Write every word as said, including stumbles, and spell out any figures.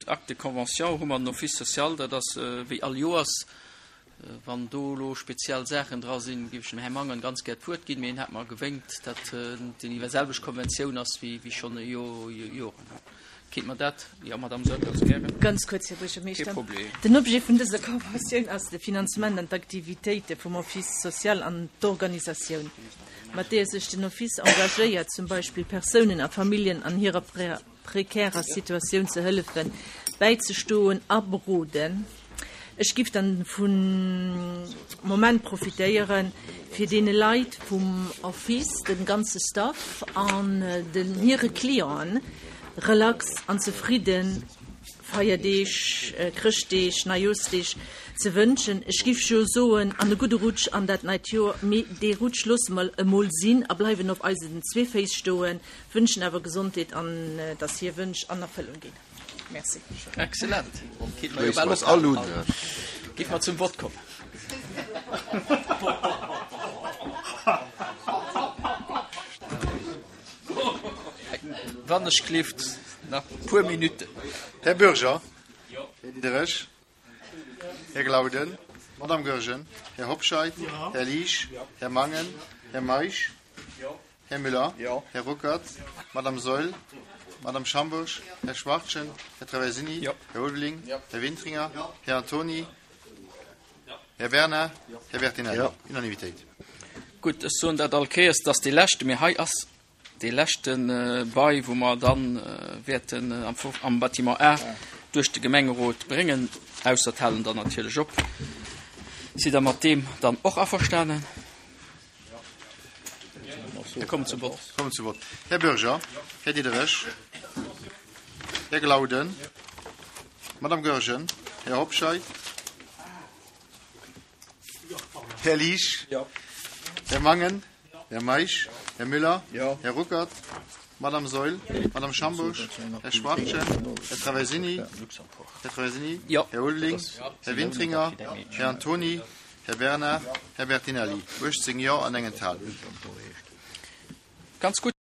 Acte de convention hu mer den Office social, dat ass wéi all Joers. Wann do elo speziell Saachen dra sinn, géif ech dem Här Mangen ganz gär d'Wuert ginn, mee en hat mer gewénkt, datt déi selwecht Konventioun ass wéi schonn Joren. Kéint mer dat? Jo, Madame Soll, ganz gären. Ganz kuerz, Här Buergermeeschter. Kee Problem. Den Objet vun dëser Konventioun ass de Finanzement an d'Aktivitéite vum Office social an d'Organisatioun, mat deeër sech den Office engagéiert, zum Beispill Persounen a Familljen an hirer prekärer Situatioun ze hëllefen, bäizestoen a beroden. Ech giff dann vum Moment profitéieren, fir deene Leit vum Office, dem ganze Staff an den hire Clienten relax an zefridde Feierdeeg, Chrëschtdeeg, Neijooschdeeg ze wënschen. Ech giff jo soen, an e gudde Rutsch an dat neit Joer, mee dee Rutsch loosse mer emol sinn a bleiwen op eisen zwee Féiss stoen, wënschen awer Gesondheet an dass hir Wënsch an Erfëllung ginn. Merci. Excellent. Kéint mer jo Schléisse bal mer eis all ophalen. un. Géif mer zum Vott kommen. Wann ech gelift nach e puer Minutten. Här Bürger, Här Diderich, Här Glauden, Madame Goergen, Här Hobscheit, Här Liesch, Här Mangen, Här Meisch, Här Müller, Här Ruckert, Madame Saeul, Madame Schambourg, Här Schwachtgen, Här Traversini, Här Ulveling, Här Wintringer, Här Antoni, Här Bernard, Här Bertinelli. Unanimitéit. Gutt, ech soen dat all Kéiers, dass dee leschte, mee hei ass dee leschte Bail, wou mer dann wäerten am Bâtiment A duerch de Gemengerot bréngen, ausser d'halen dann natierlech op. Sidd Der mat deem dann och averstanen? Da kommen zum Vott. Kommen zum Vott. Här Bürger, Här Diderich, Här Glauden, Madame Goergen, Här Hobscheit, Här Liesch, Här Mangen, Här Meisch, Här Müller, Här Ruckert, Madame Saeul, Madame Schambourg, Här Schwachtgen, Här Traversini, Här Traversini, Här Ulveling, Här Wintringer, Här Antoni, Här Bernard, Här Bertinelli. uechtzéng Jo an eng Enthalung. Ganz gutt.